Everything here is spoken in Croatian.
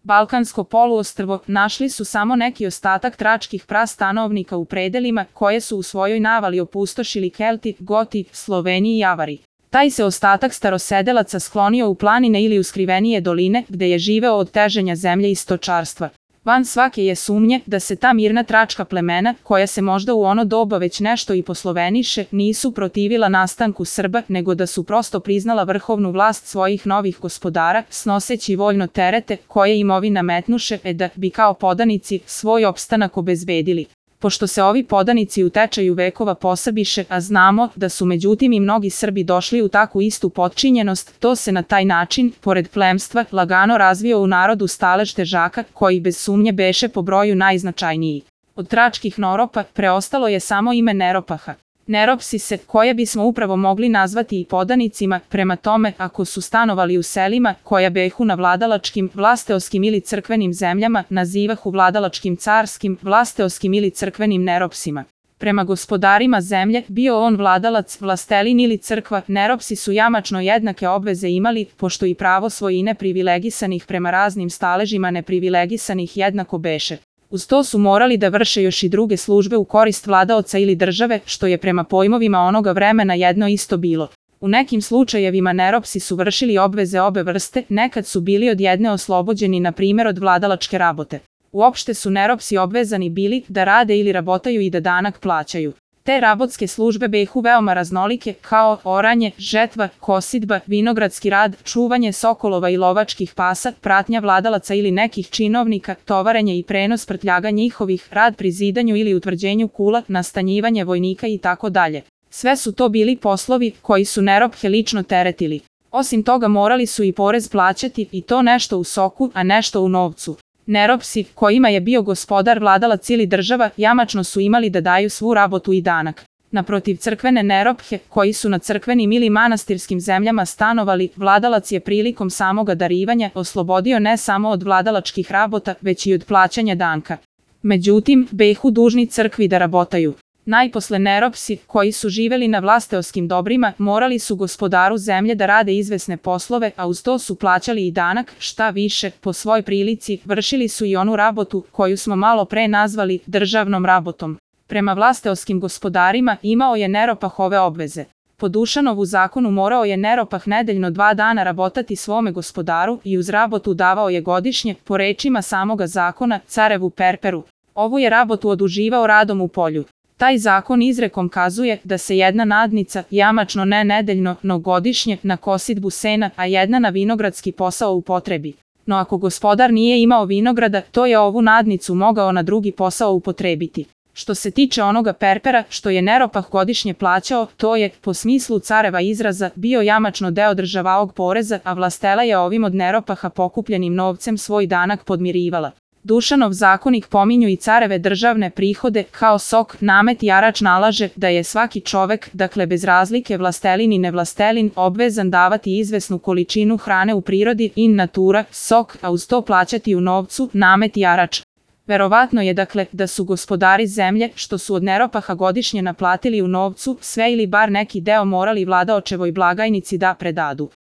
Balkansko poluostrvo našli su samo neki ostatak tračkih prastanovnika u predelima koje su u svojoj navali opustošili Kelti, Goti, Sloveni i Avari. Taj se ostatak starosedelaca sklonio u planine ili u skrivenije doline gde je živeo od teženja zemlje i stočarstva. Van svake je sumnje da se ta mirna tračka plemena, koja se možda u ono doba već nešto i posloveniše, nisu protivila nastanku Srba, nego da su prosto priznala vrhovnu vlast svojih novih gospodara, snoseći voljno terete koje im ovi nametnuše, da bi kao podanici svoj opstanak obezbedili. Pošto se ovi podanici u tečaju vekova posabiše, a znamo da su međutim i mnogi Srbi došli u takvu istu potčinjenost, to se na taj način, pored plemstva, lagano razvio u narodu stalež težaka, koji bez sumnje beše po broju najznačajniji. Od tračkih Noropa preostalo je samo ime Neropaha. Neropsise, koje bismo upravo mogli nazvati i podanicima, prema tome ako su stanovali u selima, koja behu na vladalačkim, vlasteoskim ili crkvenim zemljama, nazivahu vladalačkim carskim, vlasteoskim ili crkvenim neropsima. Prema gospodarima zemlje, bio on vladalac, vlastelin ili crkva, neropsi su jamačno jednake obveze imali, pošto i pravo svojine privilegisanih prema raznim staležima neprivilegisanih jednako beše. Uz to su morali da vrše još i druge službe u korist vladaoca ili države, što je prema pojmovima onoga vremena jedno isto bilo. U nekim slučajevima neropsi su vršili obveze obe vrste, nekad su bili od jedne oslobođeni na primjer od vladalačke rabote. Uopšte su neropsi obvezani bili da rade ili rabotaju i da danak plaćaju. Te rabotske službe behu veoma raznolike, kao oranje, žetva, kosidba, vinogradski rad, čuvanje sokolova i lovačkih pasa, pratnja vladalaca ili nekih činovnika, tovarenje i prenos prtljaga njihovih, rad pri zidanju ili utvrđenju kula, nastanjivanje vojnika i tako dalje. Sve su to bili poslovi koji su nerophe lično teretili. Osim toga morali su i porez plaćati, i to nešto u soku, a nešto u novcu. Neropsi, kojima je bio gospodar, vladalac ili država, jamačno su imali da daju svu rabotu i danak. Naprotiv crkvene nerophe, koji su na crkvenim ili manastirskim zemljama stanovali, vladalac je prilikom samoga darivanja oslobodio ne samo od vladalačkih rabota, već i od plaćanja danka. Međutim, behu dužni crkvi da rabotaju. Najposle neropsi, koji su živeli na vlasteoskim dobrima, morali su gospodaru zemlje da rade izvesne poslove, a uz to su plaćali i danak, šta više, po svoj prilici, vršili su i onu rabotu, koju smo malo pre nazvali državnom rabotom. Prema vlasteoskim gospodarima imao je Neropah ove obveze. Po Dušanovu zakonu morao je Neropah nedeljno 2 dana rabotati svome gospodaru i uz rabotu davao je godišnje, po rečima samoga zakona, carevu perperu. Ovu je rabotu oduživao radom u polju. Taj zakon izrekom kazuje da se jedna nadnica, jamačno ne nedeljno, no godišnje, na kosidbu sena, a jedna na vinogradski posao upotrebi. No ako gospodar nije imao vinograda, to je ovu nadnicu mogao na drugi posao upotrebiti. Što se tiče onoga perpera, što je Neropah godišnje plaćao, to je, po smislu careva izraza, bio jamačno deo državnog poreza, a vlastela je ovim od Neropaha pokupljenim novcem svoj danak podmirivala. Dušanov zakonik pominju i careve državne prihode, kao sok, namet i harač nalaže da je svaki čovek, dakle bez razlike vlastelin i nevlastelin, obvezan davati izvesnu količinu hrane u prirodi in natura, sok, a uz to plaćati u novcu, namet i harač. Verovatno je dakle da su gospodari zemlje, što su od Neropaha godišnje naplatili u novcu, sve ili bar neki deo morali vladaočevoj blagajnici da predadu.